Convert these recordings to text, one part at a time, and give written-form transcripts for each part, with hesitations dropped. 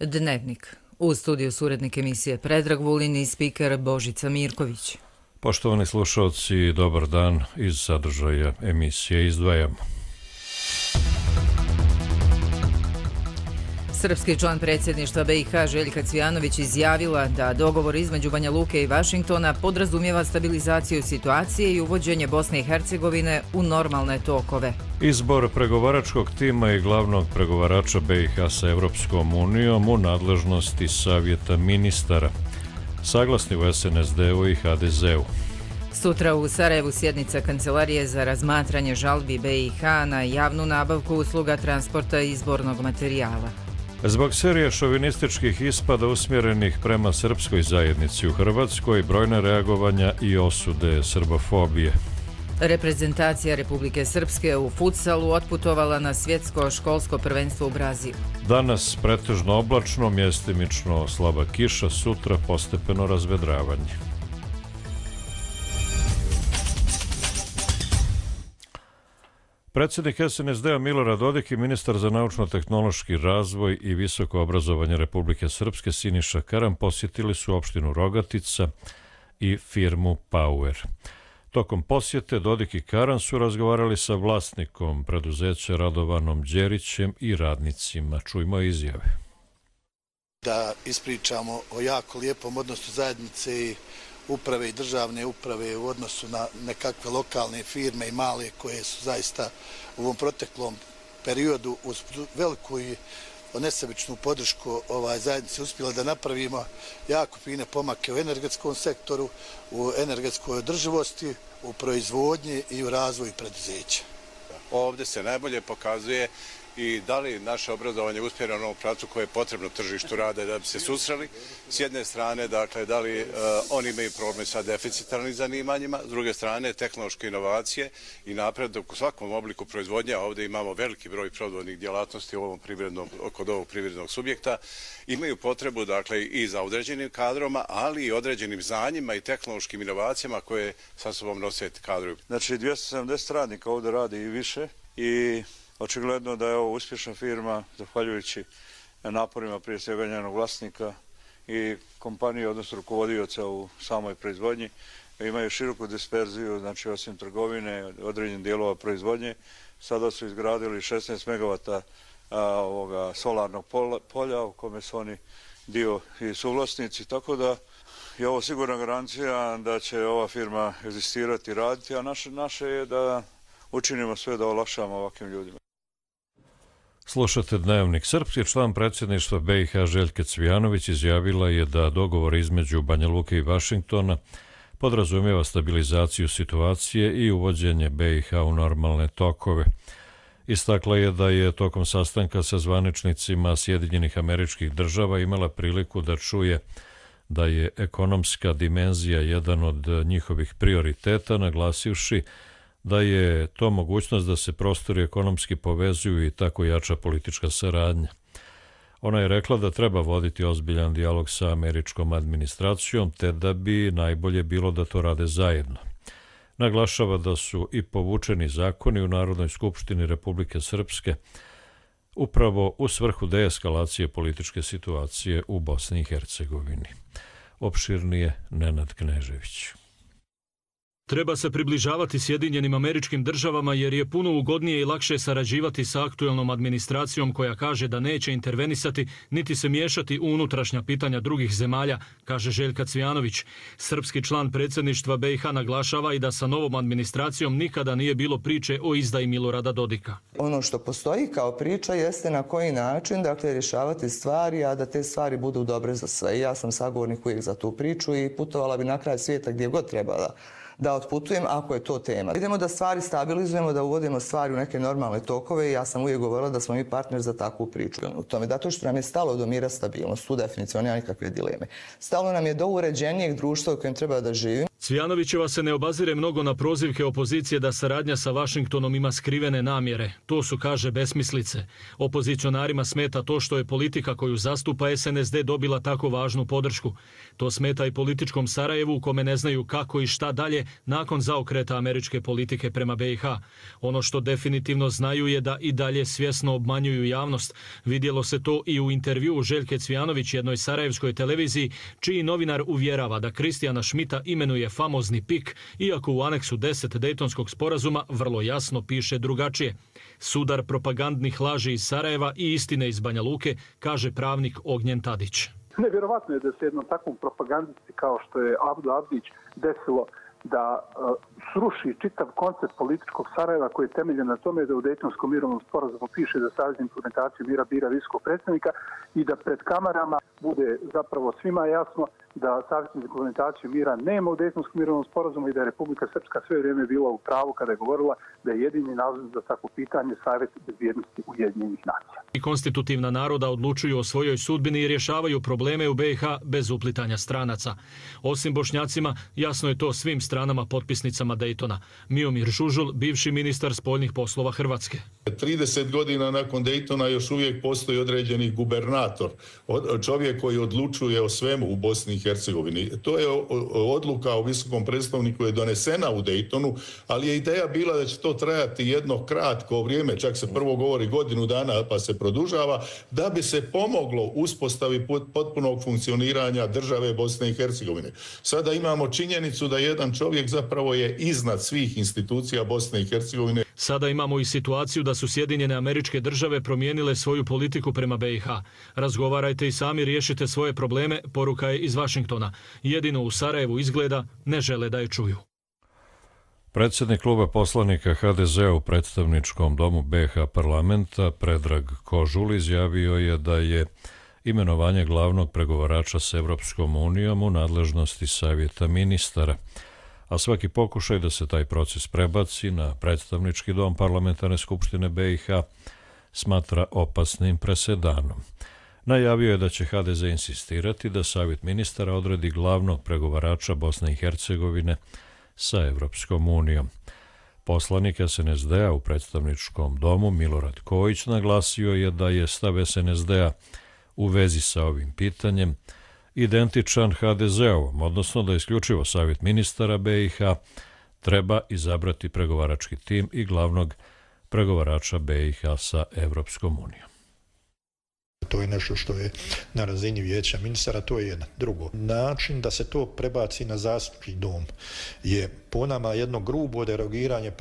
Dnevnik. U studiju su urednik emisije Predrag Vulin i spiker Božica Mirković. Poštovani slušalci, dobar dan. Iz sadržaja emisije izdvajamo. Srpski član predsjedništva BiH Željka Cvijanović izjavila da dogovor između Banja Luke i Vašingtona podrazumijeva stabilizaciju situacije i uvođenje Bosne i Hercegovine u normalne tokove. Izbor pregovaračkog tima i glavnog pregovarača BiH sa Evropskom unijom u nadležnosti Savjeta ministara, saglasni u SNSD-u i HDZ-u. Sutra u Sarajevu sjednica Kancelarije za razmatranje žalbi BiH na javnu nabavku usluga transporta izbornog materijala. Zbog serije šovinističkih ispada usmjerenih prema srpskoj zajednici u Hrvatskoj, brojne reagovanja i osude srbofobije. Reprezentacija Republike Srpske u futsalu otputovala na svjetsko školsko prvenstvo u Brazilu. Danas pretežno oblačno, mjestimično slaba kiša, sutra postepeno razvedravanje. Predsjednik SNSD-a Milorad Dodik i ministar za naučno-tehnološki razvoj i visoko obrazovanje Republike Srpske Siniša Karan posjetili su opštinu Rogatica i firmu Power. Tokom posjete Dodik i Karan su razgovarali sa vlasnikom preduzeća Radovanom Đerićem i radnicima. Čujmo izjave. Da ispričamo o jako lijepom odnosu zajednice i uprave i državne uprave u odnosu na nekakve lokalne firme i male koje su zaista u ovom proteklom periodu uz veliku i nesebičnu podršku zajednice uspjela da napravimo jako fine pomake u energetskom sektoru, u energetskoj održivosti, u proizvodnji i u razvoju preduzeća. Ovdje se najbolje pokazuje i da li naše obrazovanje uspjeva na ovom pravcu koje je potrebno tržištu rada da bi se susreli. S jedne strane, dakle, da li oni imaju problem sa deficitarnim zanimanjima, s druge strane, tehnološke inovacije i napredak u svakom obliku proizvodnje, a ovdje imamo veliki broj proizvodnih djelatnosti kod ovog privrednog subjekta, imaju potrebu, dakle, i za određenim kadroma, ali i određenim znanjima i tehnološkim inovacijama koje sa sobom nose kadrovi. Znači, 270 radnika ovdje radi i više i očigledno da je ovo uspješna firma, zahvaljujući naporima prije svega njenog vlasnika i kompanije, odnosno rukovodioca u samoj proizvodnji. Imaju široku disperziju, znači osim trgovine, određenih dijelova proizvodnje. Sada su izgradili 16 megavata solarnog polja u kome su oni dio i suvlasnici, tako da je ovo sigurna garancija da će ova firma egzistirati i raditi, a naše je da učinimo sve da olakšamo ovakvim ljudima. Slušate Dnevnik. Srpski član predsjedništva BiH Željka Cvijanović izjavila je da dogovor između Banja Luke i Vašingtona podrazumijeva stabilizaciju situacije i uvođenje BiH u normalne tokove. Istakla je da je tokom sastanka sa zvaničnicima Sjedinjenih Američkih Država imala priliku da čuje da je ekonomska dimenzija jedan od njihovih prioriteta, naglasivši da je to mogućnost da se prostori ekonomski povezuju i tako jača politička saradnja. Ona je rekla da treba voditi ozbiljan dijalog sa američkom administracijom, te da bi najbolje bilo da to rade zajedno. Naglašava da su i povučeni zakoni u Narodnoj skupštini Republike Srpske upravo u svrhu deeskalacije političke situacije u Bosni i Hercegovini. Opširnije Nenad Knežević. Treba se približavati Sjedinjenim Američkim Državama jer je puno ugodnije i lakše sarađivati sa aktuelnom administracijom koja kaže da neće intervenisati niti se miješati u unutrašnja pitanja drugih zemalja, kaže Željka Cvijanović. Srpski član predsjedništva BiH naglašava i da sa novom administracijom nikada nije bilo priče o izdaji Milorada Dodika. Ono što postoji kao priča jeste na koji način, dakle, rješavati stvari, a da te stvari budu dobre za sve. Ja sam sagovornik uvijek za tu priču i putovala bi na kraj svijeta gdje god trebala da otputujem ako je to tema. Idemo da stvari stabilizujemo, da uvodimo stvari u neke normalne tokove i ja sam uvijek govorila da smo mi partner za takvu priču. U tome, zato što nam je stalo do mira, stabilnost, tu definitivno nema nikakve dileme. Stalo nam je do uređenijeg društva u kojem treba da živimo. Cvijanovićeva se ne obazire mnogo na prozivke opozicije da saradnja sa Vašingtonom ima skrivene namjere. To su, kaže, besmislice. Opozicionarima smeta to što je politika koju zastupa SNSD dobila tako važnu podršku. To smeta i političkom Sarajevu u kome ne znaju kako i šta dalje nakon zaokreta američke politike prema BiH. Ono što definitivno znaju je da i dalje svjesno obmanjuju javnost. Vidjelo se to i u intervjuu Željke Cvijanović jednoj sarajevskoj televiziji, čiji novinar uvjerava da Kristijana Šmita imenuje famozni PIK, iako u aneksu 10 Dejtonskog sporazuma vrlo jasno piše drugačije. Sudar propagandnih laži iz Sarajeva i istine iz Banja Luke, kaže pravnik Ognjen Tadić. Nevjerovatno je da se jednom takvom propagandisti kao što je Abdo Abdić desilo da sruši čitav koncept političkog Sarajeva koji je temeljen na tome da u Dejtonskom mirovnom sporazumu piše da Savez za implementaciju mira bira visokog predstavnika i da pred kamerama bude zapravo svima jasno da Savez za implementaciju mira nema u Dejtonskom mirovnom sporazumu i da je Republika Srpska sve vrijeme bila u pravu kada je govorila da je jedini razlog za takvo pitanje Savjet bezbjednosti Ujedinjenih nacija. I konstitutivna naroda odlučuju o svojoj sudbini i rješavaju probleme u BiH bez uplitanja stranaca. Osim Bošnjacima, jasno je to svim stranama potpisnicama Dejtona. Miomir Žužul, bivši ministar spoljnih poslova Hrvatske. 30 godina nakon Dejtona još uvijek postoji određeni gubernator, čovjek koji odlučuje o svemu u Bosni i Hercegovini. To je odluka o visokom predstavniku je donesena u Dejtonu, ali je ideja bila da će to trajati jedno kratko vrijeme, čak se prvo govori godinu dana pa se produžava, da bi se pomoglo uspostavi potpunog funkcioniranja države Bosne i Hercegovine. Sada imamo činjenicu da jedan čovjek zapravo je iznad svih institucija Bosne i Hercegovine. Sada imamo i situaciju da su Sjedinjene Američke Države promijenile svoju politiku prema BiH. Razgovarajte i sami riješite svoje probleme, poruka je iz Vašingtona. Jedino u Sarajevu izgleda ne žele da je čuju. Predsjednik kluba poslanika HDZ-a u predstavničkom domu BiH parlamenta Predrag Kožul izjavio je da je imenovanje glavnog pregovarača s Evropskom unijom u nadležnosti Savjeta ministara, a svaki pokušaj da se taj proces prebaci na predstavnički dom parlamentarne skupštine BiH smatra opasnim presedanom. Najavio je da će HDZ insistirati da Savjet ministara odredi glavnog pregovarača Bosne i Hercegovine sa Evropskom unijom. Poslanik SNSD-a u predstavničkom domu Milorad Kojić naglasio je da je stav SNSD-a u vezi sa ovim pitanjem identičan HDZ-ovom, odnosno da isključivo Savjet ministara BiH treba izabrati pregovarački tim i glavnog pregovarača BiH sa Evropskom unijom. To je nešto što je na razini vijeća ministara, to je jedan. Drugo, način da se to prebaci na zastupnički dom je po nama jedno grubo derogiranje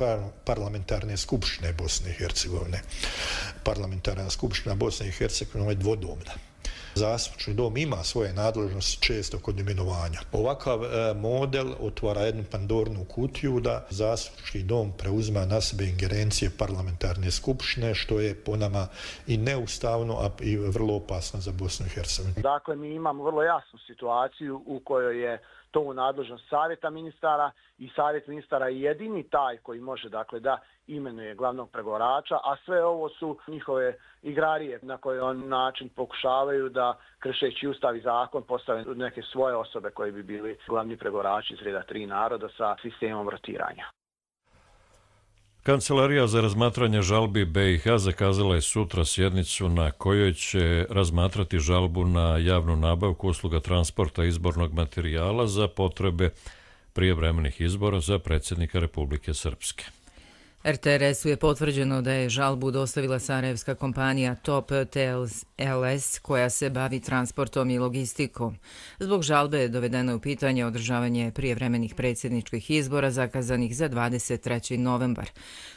parlamentarne skupštine Bosne i Hercegovine. Parlamentarna skupština Bosne i Hercegovine je dvodomna. Zastupnički dom ima svoje nadležnosti često kod imenovanja. Ovakav model otvara jednu pandornu kutiju da zastupnički dom preuzima na sebe ingerencije parlamentarne skupštine, što je po nama i neustavno, a i vrlo opasno za Bosnu i Hercegovinu. Dakle, mi imamo vrlo jasnu situaciju u kojoj je to u nadležnost Savjeta ministara i Savjet ministara je jedini taj koji može da imenuje glavnog pregovarača, a sve ovo su njihove igrarije na koji on način pokušavaju da, kršeći ustav i zakon, postave neke svoje osobe koji bi bili glavni pregovarači iz reda 3 naroda sa sistemom rotiranja. Kancelarija za razmatranje žalbi BiH zakazala je sutra sjednicu na kojoj će razmatrati žalbu na javnu nabavku usluga transporta izbornog materijala za potrebe prijevremenih izbora za predsjednika Republike Srpske. RTRS-u je potvrđeno da je žalbu dostavila sarajevska kompanija Top TLS koja se bavi transportom i logistikom. Zbog žalbe je dovedeno u pitanje održavanje prijevremenih predsjedničkih izbora zakazanih za 23. novembar.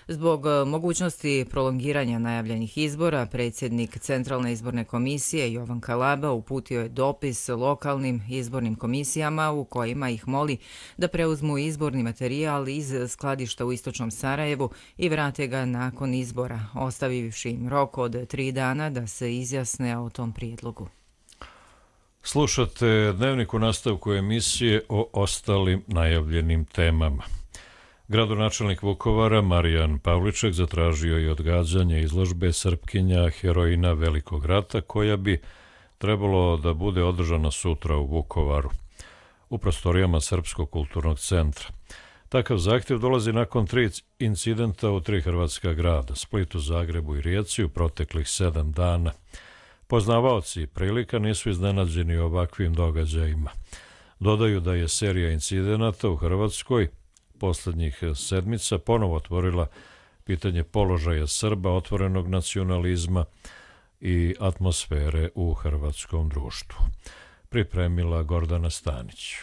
Zbog mogućnosti prolongiranja najavljenih izbora, predsjednik Centralne izborne komisije Jovan Kalaba uputio je dopis lokalnim izbornim komisijama u kojima ih moli da preuzmu izborni materijal iz skladišta u istočnom Sarajevu i vrate ga nakon izbora, ostavivši im rok od 3 dana da se izjasne o tom prijedlogu. Slušate Dnevnik u nastavku emisije o ostalim najavljenim temama. Gradonačelnik Vukovara Marijan Pavliček zatražio je odgađanje izložbe Srpkinja heroina Velikog rata koja bi trebalo da bude održana sutra u Vukovaru. u prostorijama Srpskog kulturnog centra. Takav zahtjev dolazi nakon 3 incidenta u 3 hrvatska grada, Splitu, Zagrebu i Rijeci u proteklih 7 dana. Poznavaoci prilika nisu iznenađeni ovakvim događajima. Dodaju da je serija incidenata u Hrvatskoj posljednjih sedmica ponovo otvorila pitanje položaja Srba, otvorenog nacionalizma i atmosfere u hrvatskom društvu. Pripremila Gordana Stanić.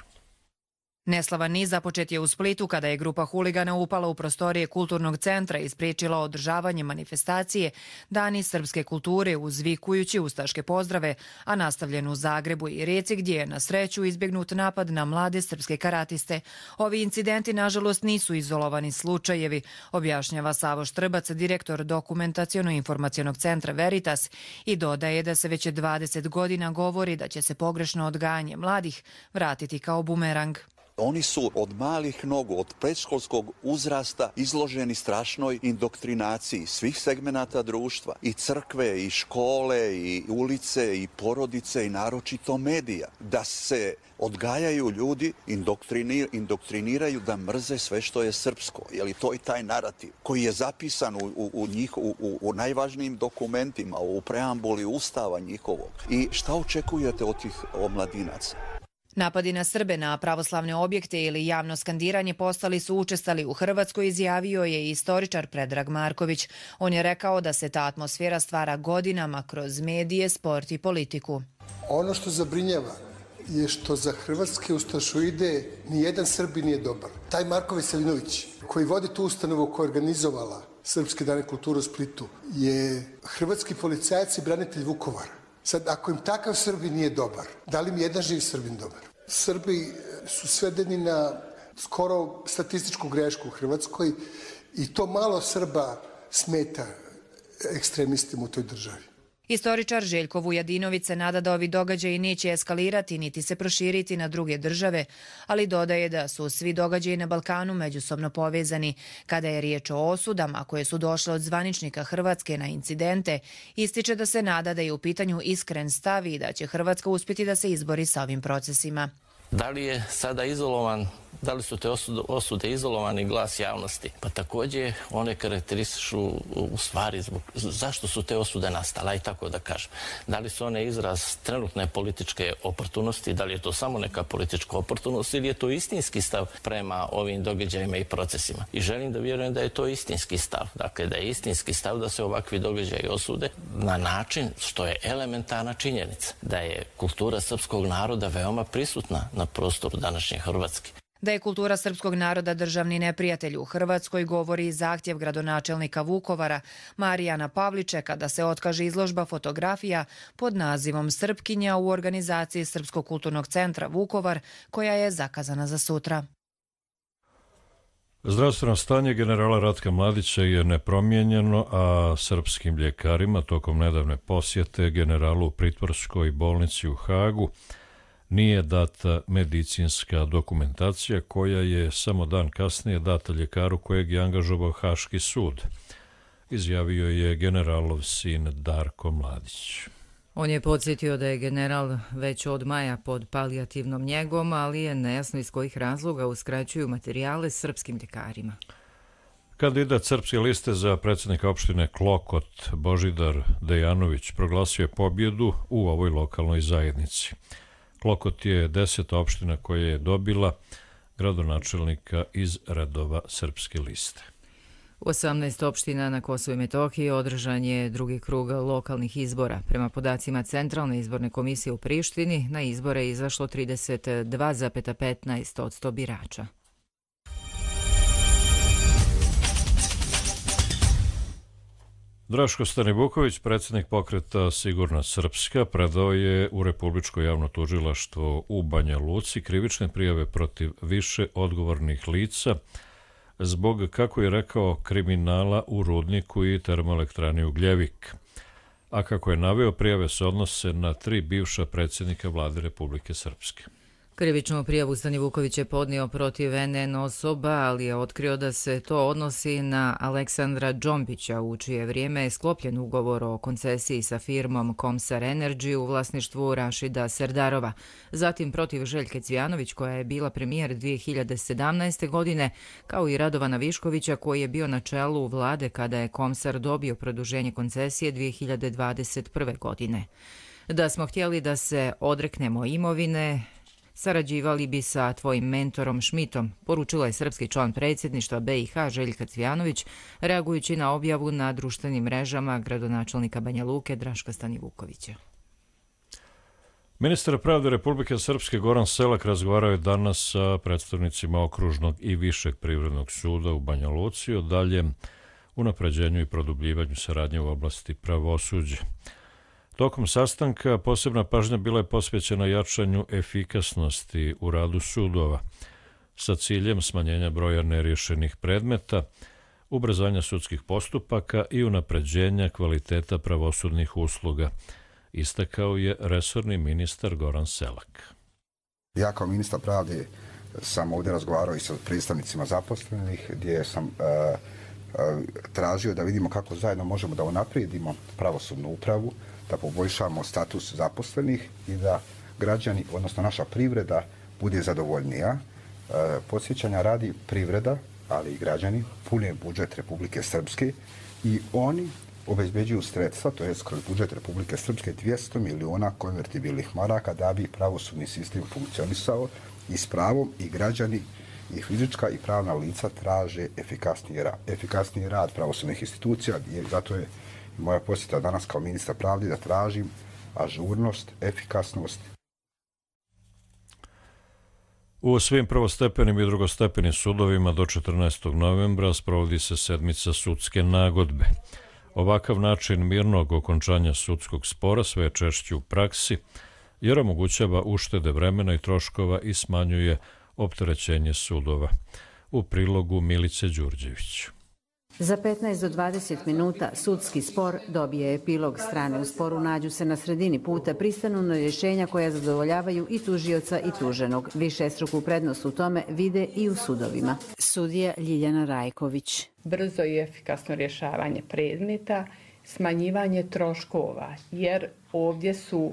Neslavan niz započet je u Splitu kada je grupa huligana upala u prostorije kulturnog centra i spriječila održavanje manifestacije Dani srpske kulture uzvikujući ustaške pozdrave, a nastavljen u Zagrebu i Rijeci gdje je na sreću izbjegnut napad na mlade srpske karatiste. Ovi incidenti nažalost nisu izolovani slučajevi, objašnjava Savo Štrbac, direktor Dokumentaciono-informacionog centra Veritas, i dodaje da se već 20 godina govori da će se pogrešno odgajanje mladih vratiti kao bumerang. Oni su od malih nogu, od predškolskog uzrasta izloženi strašnoj indoktrinaciji svih segmenata društva, i crkve, i škole, i ulice, i porodice, i naročito medija. Da se odgajaju ljudi, indoktriniraju da mrze sve što je srpsko. Jer to je taj narativ koji je zapisan u najvažnijim dokumentima, u preambuli Ustava njihovog. I šta očekujete od tih omladinaca? Napadi na Srbe na pravoslavne objekte ili javno skandiranje postali su učestali u Hrvatskoj, izjavio je istoričar Predrag Marković. On je rekao da se ta atmosfera stvara godinama kroz medije, sport i politiku. Ono što zabrinjava je što za hrvatske ustašoide nijedan Srbi nije dobar. Taj Marko Veselinović, koji vodi tu ustanovu koja je organizovala Srpske dane kulture u Splitu, je hrvatski policajac i branitelj Vukovara. Sad, ako im takav Srbi nije dobar, da li im jedan živ Srbin dobar? Srbi su svedeni na skoro statističku grešku u Hrvatskoj i to malo Srba smeta ekstremistima u toj državi. Istoričar Željko Vujadinović se nada da ovi događaji neće eskalirati niti se proširiti na druge države, ali dodaje da su svi događaji na Balkanu međusobno povezani. Kada je riječ o osudama koje su došle od zvaničnika Hrvatske na incidente, ističe da se nada da je u pitanju iskren stav i da će Hrvatska uspjeti da se izbori sa ovim procesima. Da li je sada izolovan, da li su te osude izolovani glas javnosti? Pa također one karakteristišu u stvari zašto su te osude nastale, i tako da kažem. Da li su one izraz trenutne političke oportunosti, da li je to samo neka politička oportunost ili je to istinski stav prema ovim događajima i procesima. I želim da vjerujem da je to istinski stav. Dakle, da je istinski stav da se ovakvi događaji osude na način što je elementarna činjenica. Da je kultura srpskog naroda veoma prisutna na prostoru današnje Hrvatske. Da je kultura srpskog naroda državni neprijatelj u Hrvatskoj govori i zahtjev gradonačelnika Vukovara Marijana Pavličeka da se otkaže izložba fotografija pod nazivom Srpkinja u organizaciji Srpskog kulturnog centra Vukovar, koja je zakazana za sutra. Zdravstveno stanje generala Ratka Mladića je nepromijenjeno, a srpskim ljekarima tokom nedavne posjete generalu u pritvorskoj bolnici u Hagu nije data medicinska dokumentacija koja je samo dan kasnije data ljekaru kojeg je angažovao Haški sud, izjavio je generalov sin Darko Mladić. On je podsjetio da je general već od maja pod palijativnom njegom, ali je nejasno iz kojih razloga uskraćuju materijale srpskim ljekarima. Kandidat Srpske liste za predsjednika opštine Klokot Božidar Dejanović proglasio je pobjedu u ovoj lokalnoj zajednici. Klokot je 10. opština koja je dobila gradonačelnika iz redova Srpske liste. U 18 opština na Kosovu i Metohiji održan je drugi krug lokalnih izbora. Prema podacima Centralne izborne komisije u Prištini, na izbore je izašlo 32,15% birača. Draško Stanivuković, predsjednik pokreta Sigurna Srpska, predao je u Republičko javno tužilaštvo u Banja Luci krivične prijave protiv više odgovornih lica zbog, kako je rekao, kriminala u rudniku i termoelektrani Ugljevik. A kako je naveo, prijave se odnose na 3 bivša predsjednika vlade Republike Srpske. Krivičnu prijavu Stani Vuković je podnio protiv NN osoba, ali je otkrio da se to odnosi na Aleksandra Džombića, u čije vrijeme je sklopljen ugovor o koncesiji sa firmom Komsar Energy u vlasništvu Rašida Serdarova. Zatim protiv Željke Cvijanović, koja je bila premijer 2017. godine, kao i Radovana Viškovića, koji je bio na čelu vlade kada je Komsar dobio produženje koncesije 2021. godine. Da smo htjeli da se odreknemo imovine, sarađivali bi sa tvojim mentorom Šmitom, poručila je srpski član predsjedništva BiH Željka Cvijanović, reagujući na objavu na društvenim mrežama gradonačelnika Banja Luke Draška Stanivukovića. Ministar pravde Republike Srpske Goran Selak razgovarao je danas sa predstavnicima Okružnog i Višeg privrednog suda u Banja Luci o daljem unapređenju i produbljivanju saradnje u oblasti pravosuđa. Tokom sastanka posebna pažnja bila je posvećena jačanju efikasnosti u radu sudova sa ciljem smanjenja broja neriješenih predmeta, ubrzanja sudskih postupaka i unapređenja kvaliteta pravosudnih usluga, istakao je resorni ministar Goran Selak. Ja kao ministar pravde sam ovdje razgovarao i sa predstavnicima zaposlenih gdje sam tražio da vidimo kako zajedno možemo da unaprijedimo pravosudnu upravu, da poboljšamo status zaposlenih i da građani, odnosno naša privreda, bude zadovoljnija. Podsjećanja radi privreda, ali i građani, pune budžet Republike Srpske i oni obezbeđuju sredstva, to je kroz budžet Republike Srpske 200 miliona konvertibilnih maraka da bi pravosudni sistem funkcionisao i s pravom i građani i fizička i pravna lica traže efikasniji rad pravosudnih institucija i zato je moja posjeta danas kao ministar pravde da tražim ažurnost, efikasnost. U svim prvostepenim i drugostepenim sudovima do 14. novembra sprovodi se sedmica sudske nagodbe. Ovakav način mirnog okončanja sudskog spora sve je češći u praksi, jer omogućava uštede vremena i troškova i smanjuje opterećenje sudova. U prilogu Milice Đurđević. Za 15 do 20 minuta sudski spor dobije epilog. Strane u sporu nađu se na sredini puta, pristanu na rješenja koja zadovoljavaju i tužioca i tuženog. Višestruku prednost u tome vide i u sudovima. Sudija Ljiljana Rajković. Brzo i efikasno rješavanje predmeta, smanjivanje troškova, jer ovdje su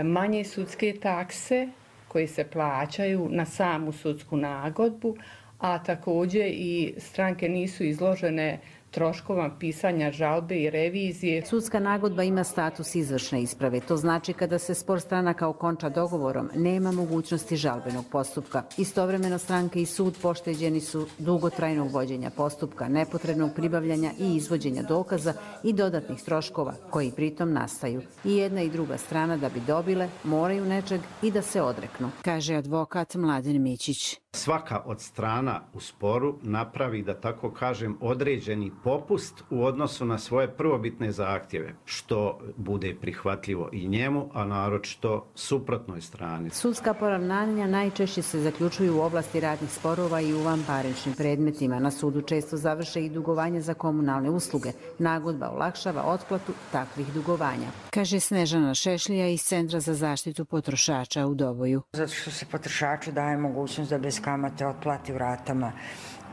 manje sudske takse koje se plaćaju na samu sudsku nagodbu, a također i stranke nisu izložene troškovima pisanja žalbe i revizije. Sudska nagodba ima status izvršne isprave. To znači kada se spor stranaka okonča dogovorom, nema mogućnosti žalbenog postupka. Istovremeno stranke i sud pošteđeni su dugotrajnog vođenja postupka, nepotrebnog pribavljanja i izvođenja dokaza i dodatnih troškova koji pritom nastaju. I jedna i druga strana da bi dobile moraju nečeg i da se odreknu, kaže advokat Mladen Mićić. Svaka od strana u sporu napravi, da tako kažem, određeni popust u odnosu na svoje prvobitne zahtjeve, što bude prihvatljivo i njemu, a naročito suprotnoj strani. Sudska poravnanja najčešće se zaključuju u oblasti radnih sporova i u vanparničnim predmetima. Na sudu često završe i dugovanja za komunalne usluge. Nagodba olakšava otplatu takvih dugovanja, kaže Snežana Šešlija iz Centra za zaštitu potrošača u Doboju. Zato što se potrošaču daje mogućnost da bez kamate otplati u ratama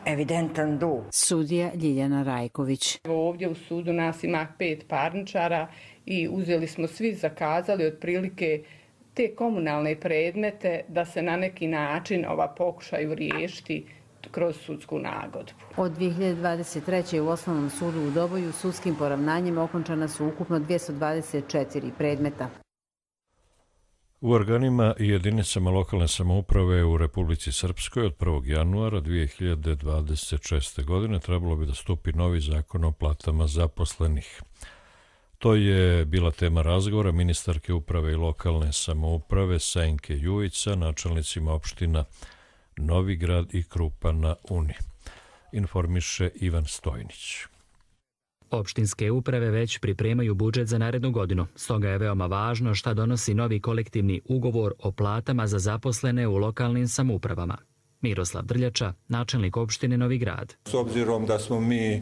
evidentan dug. Sudija Ljiljana Rajković. Ovdje u sudu nas ima 5 parničara i uzeli smo svi, zakazali otprilike te komunalne predmete da se na neki način pokušaju riješiti kroz sudsku nagodbu. Od 2023. u Osnovnom sudu u Doboju sudskim poravnanjem okončana su ukupno 224 predmeta. U organima i jedinicama lokalne samouprave u Republici Srpskoj od 1. januara 2026. godine trebalo bi da stupi novi zakon o platama zaposlenih. To je bila tema razgovora ministarke uprave i lokalne samouprave Senke Jujić sa načelnicima opština Novigrad i Krupa na Uni. Informiše Ivan Stojnić. Opštinske uprave već pripremaju budžet za narednu godinu, stoga je veoma važno šta donosi novi kolektivni ugovor o platama za zaposlene u lokalnim samoupravama. Miroslav Drljača, načelnik opštine Novi Grad. S obzirom da smo mi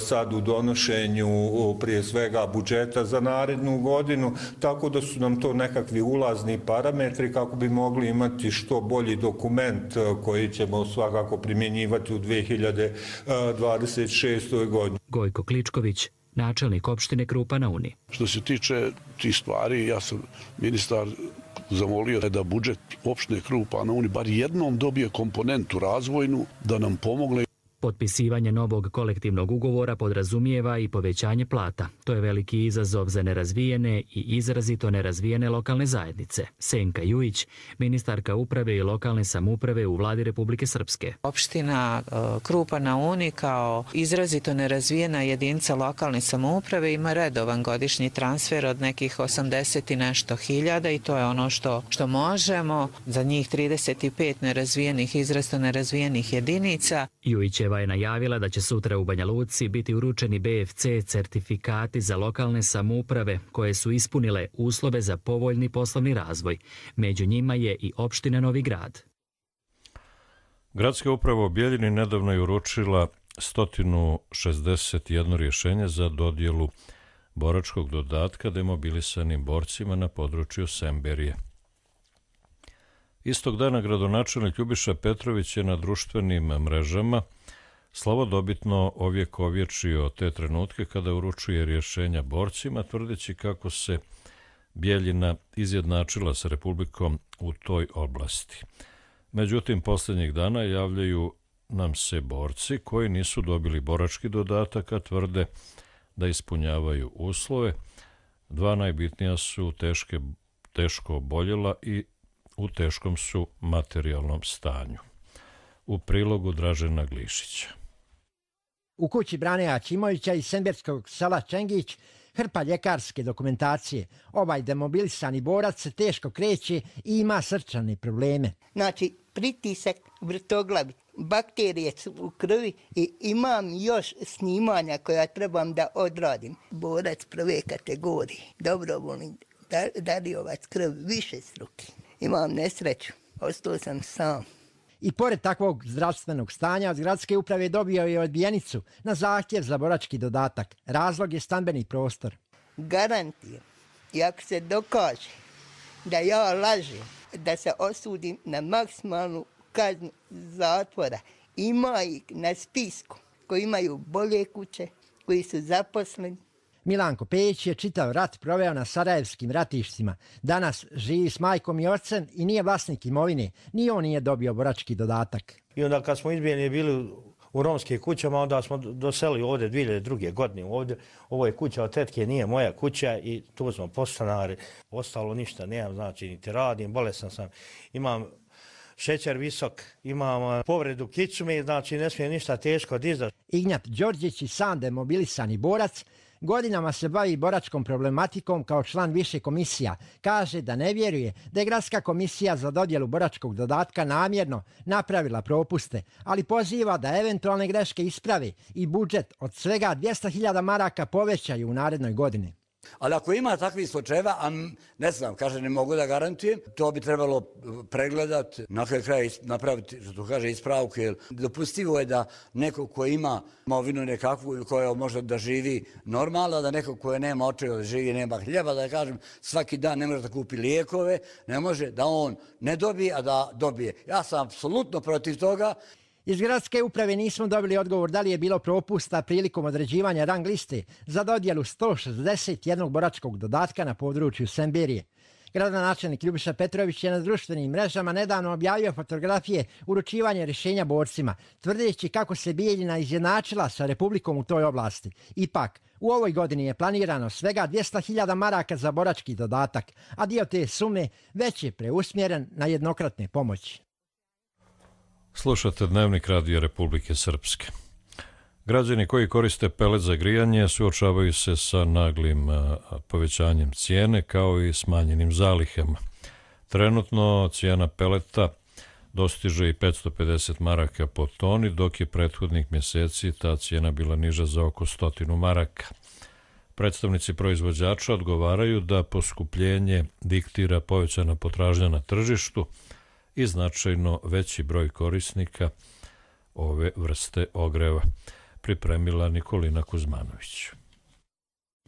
sad u donošenju prije svega budžeta za narednu godinu, tako da su nam to nekakvi ulazni parametri kako bi mogli imati što bolji dokument koji ćemo svakako primjenjivati u 2026. godini. Gojko Kličković, načelnik opštine Krupa na Uni. Što se tiče tih stvari, ja sam ministar zamolio da budžet opštine Krupa na Uni bar jednom dobije komponentu razvojnu da nam pomogne. Potpisivanje novog kolektivnog ugovora podrazumijeva i povećanje plata. To je veliki izazov za nerazvijene i izrazito nerazvijene lokalne zajednice. Senka Jujić, ministarka uprave i lokalne samouprave u vladi Republike Srpske. Opština Krupa na Uni kao izrazito nerazvijena jedinica lokalne samouprave ima redovan godišnji transfer od nekih 80 i nešto hiljada i to je ono što možemo za njih 35 nerazvijenih, izrazito nerazvijenih jedinica. Jujićeva je najavila da će sutra u Banja Luci biti uručeni BFC certifikati za lokalne samouprave koje su ispunile uslove za povoljni poslovni razvoj. Među njima je i opština Novi Grad. Gradska uprava u Bijeljini nedavno je uručila 161 rješenje za dodjelu boračkog dodatka demobilisanim borcima na području Semberije. Istog dana gradonačelnik Ljubiša Petrović je na društvenim mrežama slavodobitno ovjekovječio te trenutke kada uručuje rješenja borcima, tvrdeći kako se Bijeljina izjednačila sa Republikom u toj oblasti. Međutim, posljednjih dana javljaju nam se borci koji nisu dobili borački dodatak, a tvrde da ispunjavaju uslove. Dva najbitnija su teško oboljela i u teškom su materijalnom stanju. U prilogu Dražena Glišića. U kući Brane Aćimovića iz semberskog sela Čengić hrpa ljekarske dokumentacije. Ovaj demobilisani borac se teško kreće i ima srčane probleme. Znači, pritisak, vrtoglavi, bakterije su u krvi i imam još snimanja koja trebam da odradim. Borac prve kategorije, dobrovoljni dariovac krvi, više struke. Imam nesreću, ostao sam sam. I pored takvog zdravstvenog stanja od gradske uprave dobio je odbijenicu na zahtjev za borački dodatak. Razlog je stambeni prostor. Garantijem, i ako se dokaže da ja lažem, da se osudim na maksimalnu kaznu zatvora, ima ih na spisku koji imaju bolje kuće, koji su zaposleni. Milanko Pejić je čitav rat proveo na sarajevskim ratištima. Danas živi s majkom i ocem i nije vlasnik imovine. Ni on nije dobio borački dodatak. I onda kad smo izbijeni bili u romskim kućama, onda smo doselili ovdje 2002. godine. Ovo je kuća od tetke, nije moja kuća i tu smo postanari. Ostalo ništa nemam, znači niti radim, bolesan sam. Imam šećer visok, imam povredu kičme, znači ne smije ništa teško dizati. Ignjat Đorđić i sam demobilisani borac godinama se bavi boračkom problematikom kao član više komisija. Kaže da ne vjeruje da je Gradska komisija za dodjelu boračkog dodatka namjerno napravila propuste, ali poziva da eventualne greške isprave i budžet od svega 200.000 maraka povećaju u narednoj godini. Ali ako ima takvih slučajeva, a ne znam, kaže, ne mogu da garantujem, to bi trebalo pregledati, na kraju napraviti, što kaže, ispravku, jer dopustivo je da neko ko ima imovinu nekakvu, koja može da živi normalno, da neko ko nema očeva da živi, nema hljeba, da kažem, svaki dan ne može da kupi lijekove, ne može da on ne dobije, a da dobije. Ja sam apsolutno protiv toga. Iz gradske uprave nismo dobili odgovor da li je bilo propusta prilikom određivanja rang liste za dodjelu 161 boračkog dodatka na području Semberije. Gradonačelnik Ljubiša Petrović je na društvenim mrežama nedavno objavio fotografije uručivanja rješenja borcima, tvrdeći kako se Bijeljina izjednačila sa Republikom u toj oblasti. Ipak, u ovoj godini je planirano svega 200.000 maraka za borački dodatak, a dio te sume već je preusmjeren na jednokratne pomoći. Slušate Dnevnik Radija Republike Srpske. Građani koji koriste pelet za grijanje suočavaju se sa naglim povećanjem cijene kao i smanjenim zalihama. Trenutno cijena peleta dostiže i 550 maraka po toni, dok je prethodnih mjeseci ta cijena bila niža za oko 100 maraka. Predstavnici proizvođača odgovaraju da poskupljenje diktira povećana potražnja na tržištu i značajno veći broj korisnika ove vrste ogreva, pripremila Nikolina Kuzmanović.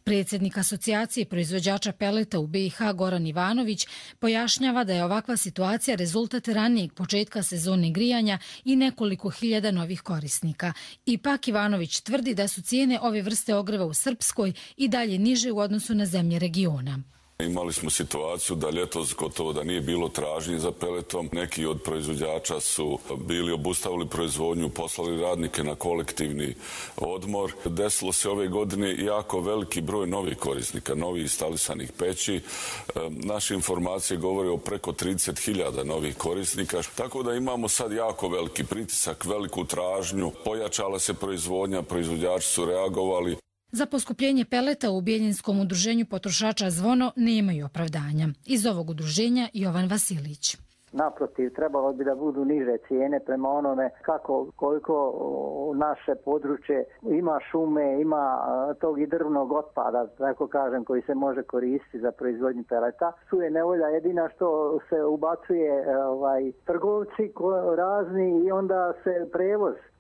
Predsjednik asocijacije proizvođača peleta u BiH Goran Ivanović pojašnjava da je ovakva situacija rezultat ranijeg početka sezone grijanja i nekoliko hiljada novih korisnika. Ipak Ivanović tvrdi da su cijene ove vrste ogreva u Srpskoj i dalje niže u odnosu na zemlje regiona. Imali smo situaciju da ljetos gotovo da nije bilo tražnje za peletom. Neki od proizvođača su bili obustavili proizvodnju, poslali radnike na kolektivni odmor. Desilo se ove godine jako veliki broj novih korisnika, novih instalisanih peći. Naše informacije govore o preko 30.000 novih korisnika. Tako da imamo sad jako veliki pritisak, veliku tražnju. Pojačala se proizvodnja, proizvođači su reagovali. Za poskupljenje peleta u Bijeljinskom udruženju potrošača Zvono nemaju opravdanja. Iz ovog udruženja Jovan Vasilić. Naprotiv, trebalo bi da budu niže cijene prema onome koliko naše područje ima šume, ima tog i drvnog otpada, tako kažem, koji se može koristiti za proizvodnju peleta. Tu je nevolja jedina što se ubacuje trgovci razni i onda se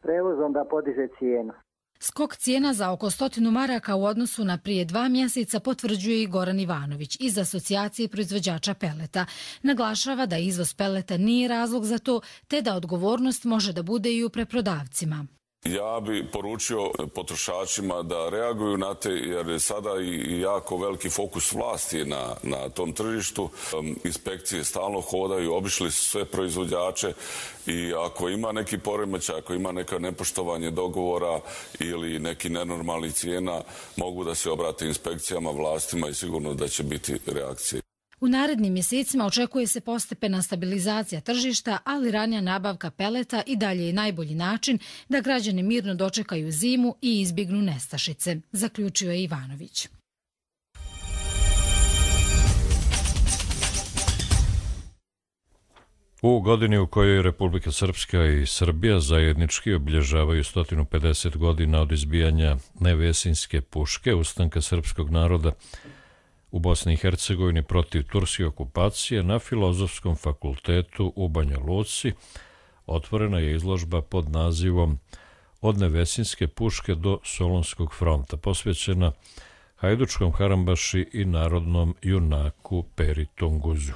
prevoz onda podiže cijenu. Skok cijena za oko 100 maraka u odnosu na prije 2 mjeseca potvrđuje i Goran Ivanović iz asocijacije proizvođača peleta. Naglašava da izvoz peleta nije razlog za to, te da odgovornost može da bude i u preprodavcima. Ja bi poručio potrošačima da reaguju na te, jer je sada i jako veliki fokus vlasti na tom tržištu. Inspekcije stalno hodaju, obišli su sve proizvođače i ako ima neki poremećaj, ako ima neka nepoštovanje dogovora ili neki nenormalni cijena, mogu da se obrate inspekcijama, vlastima i sigurno da će biti reakcije. U narednim mjesecima očekuje se postepena stabilizacija tržišta, ali ranija nabavka peleta i dalje je najbolji način da građani mirno dočekaju zimu i izbjegnu nestašice, zaključio je Ivanović. U godini u kojoj Republika Srpska i Srbija zajednički obilježavaju 150 godina od izbijanja Nevesinjske puške, ustanka srpskog naroda u Bosni i Hercegovini protiv turske okupacije, na Filozofskom fakultetu u Banja Luci otvorena je izložba pod nazivom Od Nevesinjske puške do Solunskog fronta, posvećena hajdučkom harambaši i narodnom junaku Peri Tunguzu.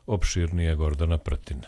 Opširnije Gordana Pretina.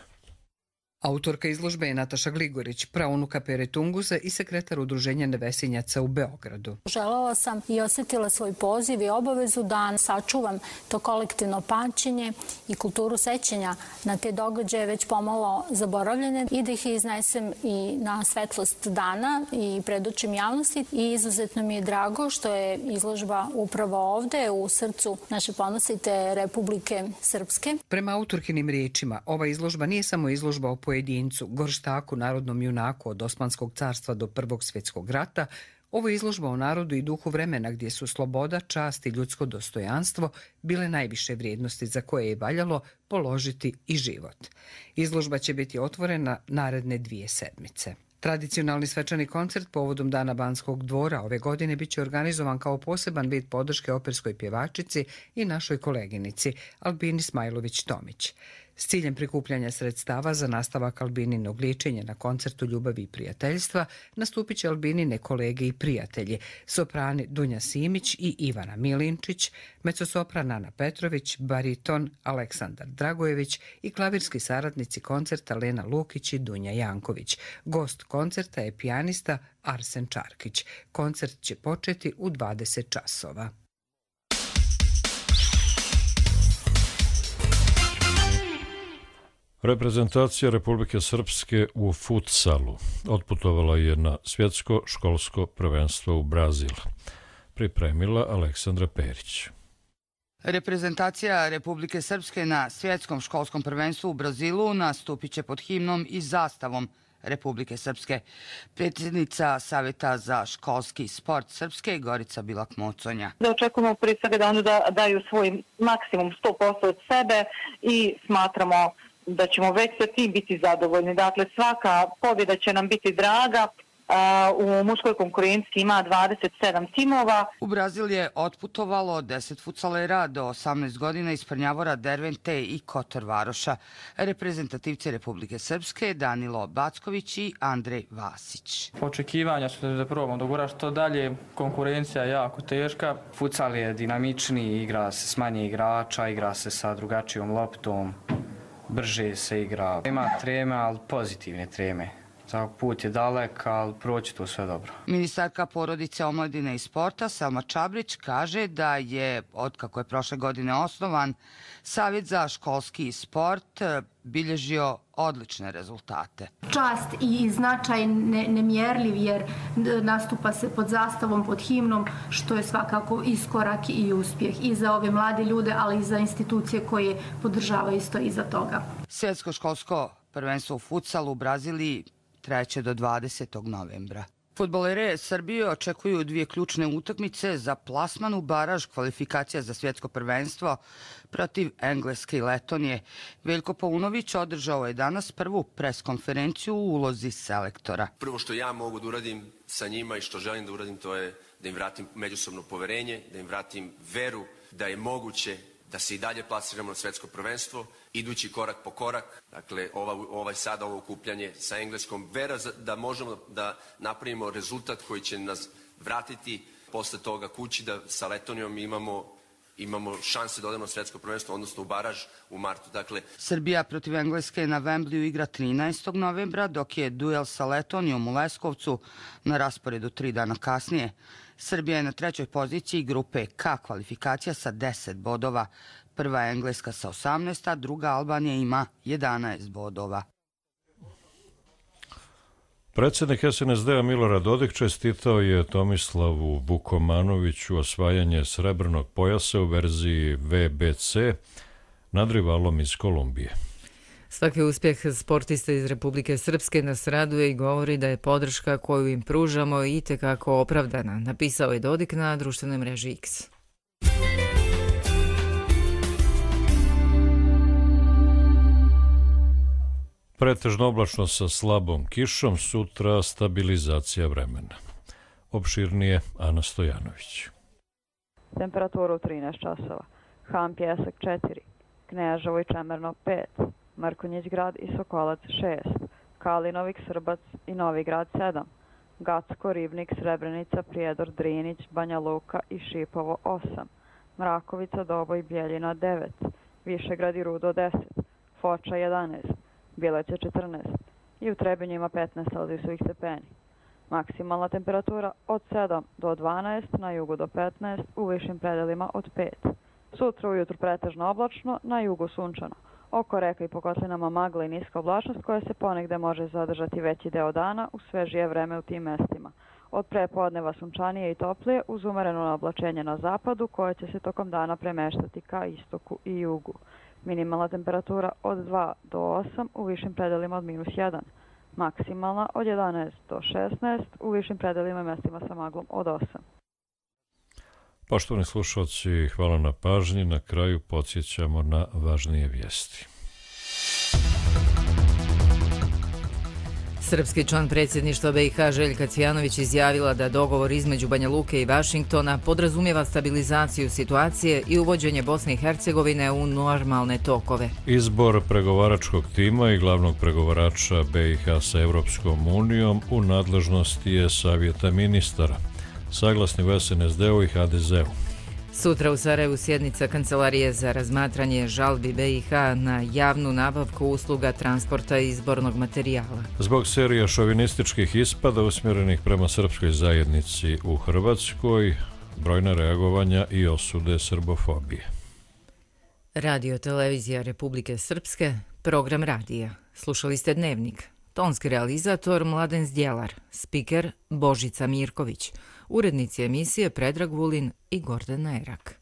Autorka izložbe je Nataša Gligorić, praunuka Pere Tunguza i sekretar udruženja Nevesinjaca u Beogradu. Želela sam i osjetila svoj poziv i obavezu da sačuvam to kolektivno pamćenje i kulturu sećanja na te događaje već pomalo zaboravljene i da ih iznesem i na svetlost dana i predočim javnosti. I izuzetno mi je drago što je izložba upravo ovde u srcu naše ponosite Republike Srpske. Prema autorkinim riječima, ova izložba nije samo izložba o pojedincu, gorštaku, narodnom junaku od Osmanskog carstva do Prvog svjetskog rata, ovo je izložba o narodu i duhu vremena gdje su sloboda, čast i ljudsko dostojanstvo bile najviše vrijednosti za koje je valjalo položiti i život. Izložba će biti otvorena naredne 2 sedmice. Tradicionalni svečani koncert povodom Dana Banskog dvora ove godine bit će organizovan kao poseban vid podrške operskoj pjevačici i našoj koleginici Albini Smajlović-Tomić. S ciljem prikupljanja sredstava za nastavak Albininog liječenja na koncertu Ljubavi i prijateljstva nastupit će Albinine kolege i prijatelji, soprani Dunja Simić i Ivana Milinčić, mecosopran Ana Petrović, bariton Aleksandar Dragojević i klavirski saradnici koncerta Lena Lukić i Dunja Janković. Gost koncerta je pijanista Arsen Čarkić. Koncert će početi u 20 časova. Reprezentacija Republike Srpske u futsalu otputovala je na svjetsko školsko prvenstvo u Brazil. Pripremila Aleksandra Perić. Reprezentacija Republike Srpske na svjetskom školskom prvenstvu u Brazilu nastupit će pod himnom i zastavom Republike Srpske. Predsjednica Savjeta za školski sport Srpske Gorica Bilak-Moconja. Da očekujemo prije svega da oni daju svoj maksimum 100% od sebe i smatramo da ćemo već sa tim biti zadovoljni. Dakle, svaka pobjeda će nam biti draga U muškoj konkurenciji ima 27 timova. U Brazil je otputovalo 10 futsalera do 18 godina iz Prnjavora, Dervente i Kotor Varoša. Reprezentativci Republike Srpske Danilo Backović i Andrej Vasić. Očekivanja su da probamo dogura što dalje. Konkurencija je jako teška. Futsal je dinamičniji, igra se s manje igrača, igra se sa drugačijom loptom, brže se igra. Ima treme, ali pozitivne treme. Put je dalek, ali proći to sve dobro. Ministarka porodice, omladine i sporta Selma Čabrić kaže da je, otkako je prošle godine osnovan, Savjet za školski sport bilježio odlične rezultate. Čast i značaj nemjerljiv jer nastupa se pod zastavom, pod himnom, što je svakako iskorak i uspjeh i za ove mlade ljude, ali i za institucije koje podržavaju isto iza toga. Svjetsko školsko prvenstvo u futsalu u Braziliji 3. do 20. novembra. Fudbalere Srbije očekuju 2 ključne utakmice za plasman u baraž kvalifikacija za svjetsko prvenstvo protiv Engleske i Letonije. Veljko Paunović održao je danas prvu preskonferenciju u ulozi selektora. Prvo što ja mogu da uradim sa njima i što želim da uradim, to je da im vratim međusobno poverenje, da im vratim veru da je moguće da se i dalje plasiramo na svetsko prvenstvo, idući korak po korak, dakle ovo okupljanje sa Engleskom, vera da možemo da napravimo rezultat koji će nas vratiti posle toga kući, da sa Letonijom imamo šanse da odemo na svetsko prvenstvo, odnosno u baraž u martu. Dakle, Srbija protiv Engleske na Wembleyu igra 13. novembra, dok je duel sa Letonijom u Leskovcu na rasporedu 3 dana kasnije. Srbija je na 3. poziciji grupe K kvalifikacija sa 10 bodova. Prva je Engleska sa 18, a druga Albanija ima 11 bodova. Predsjednik SNSD-a Milorad Dodik čestitao je Tomislavu Vukomanoviću osvajanje srebrnog pojasa u verziji VBC nad rivalom iz Kolumbije. Svaki uspjeh sportista iz Republike Srpske nas raduje i govori da je podrška koju im pružamo itekako opravdana, napisao je Dodik na društvenoj mreži X. Pretežno oblačno sa slabom kišom, sutra stabilizacija vremena. Opširnije Ana Stojanović. Temperatura u 13 časova. Han Pjesak 4, Kneževo i Čemerno 5, Mrkonjić grad i Sokolac 6, Kalinovik, Srbac i Novi grad 7, Gacko, Ribnik, Srebrenica, Prijedor, Drinić, Banja Luka i Šipovo 8, Mrakovica, Doboj, Bjeljina 9, Višegrad i Rudo 10, Foča 11, Bileće 14 i u Trebinjima 15 celzijusovih stepeni. Maksimalna temperatura od 7 do 12, na jugu do 15, u višim predelima od 5. Sutra ujutru pretežno oblačno, na jugu sunčano. Oko reka i po kotlinama magla i niska oblačnost koja se ponegde može zadržati veći deo dana u svežije vreme u tim mestima. Od prepodneva sunčanije i toplije uz umereno oblačenje na zapadu koje će se tokom dana premeštati ka istoku i jugu. Minimalna temperatura od 2 do 8, u višim predelima od -1. Maksimalna od 11 do 16, u višim predelima i mestima sa maglom od 8. Poštovani slušalci, hvala na pažnji. Na kraju podsjećamo na važnije vijesti. Srpski član predsjedništva BiH Željka Cvijanović izjavila da dogovor između Banja Luke i Vašingtona podrazumijeva stabilizaciju situacije i uvođenje Bosne i Hercegovine u normalne tokove. Izbor pregovaračkog tima i glavnog pregovarača BiH sa Evropskom unijom u nadležnosti je Savjeta ministara, saglasni u SNSD-u i HDZ-u. Sutra u Sarajevu sjednica Kancelarije za razmatranje žalbi BiH na javnu nabavku usluga transporta i izbornog materijala. Zbog serija šovinističkih ispada usmjerenih prema srpskoj zajednici u Hrvatskoj, brojna reagovanja i osude srbofobije. Radio Televizija Republike Srpske, program radija. Slušali ste Dnevnik. Tonski realizator Mladen Zdjelar, spiker Božica Mirković, urednici emisije Predrag Vulin i Gordana Erak.